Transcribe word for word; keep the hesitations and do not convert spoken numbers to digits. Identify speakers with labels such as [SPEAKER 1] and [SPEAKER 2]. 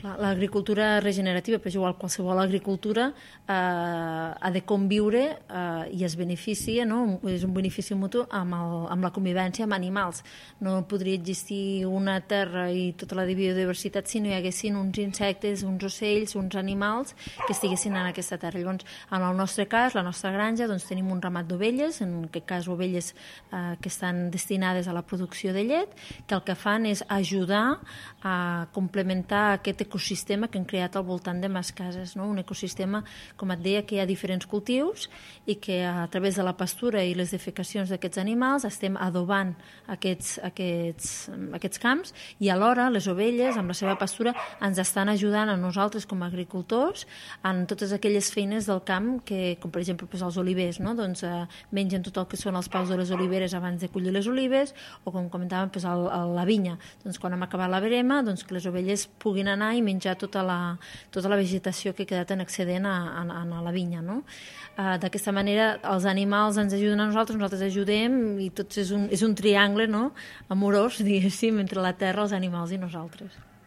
[SPEAKER 1] L'agricultura regenerativa, però igual qualsevol agricultura, eh, ha de conviure eh, i es beneficia, no? És un benefici mutu amb, el, amb la convivència amb animals. No podria existir una terra i tota la biodiversitat si no hi haguessin uns insectes, uns ocells, uns animals que estiguessin en aquesta terra. Llavors, en el nostre cas, la nostra granja, doncs, tenim un ramat d'ovelles, en aquest cas ovelles eh, que estan destinades a la producció de llet, que el que fan és ajudar a complementar aquest ecosistema que hem creat al voltant de mes cases, no? Un ecosistema, com et deia, que hi ha diferents cultius i que a través de la pastura i les defecacions d'aquests animals estem adobant aquests, aquests, aquests camps i alhora les ovelles, amb la seva pastura, ens estan ajudant a nosaltres com a agricultors en totes aquelles feines del camp que, com per exemple doncs els olivers, no? Doncs, eh, mengen tot el que són els paus de les oliveres abans de collir les olives, o com comentàvem, doncs, el, el, la vinya. Doncs quan hem acabat la verema, doncs que les ovelles puguin anar i menjar tota la, tota la vegetació que ha quedat en excedent a, a, a la vinya, no? Uh, d'aquesta manera els animals ens ajuden a nosaltres, nosaltres ajudem i tot és un, és un triangle, no? Amorós, diguéssim, entre la terra, els animals i nosaltres.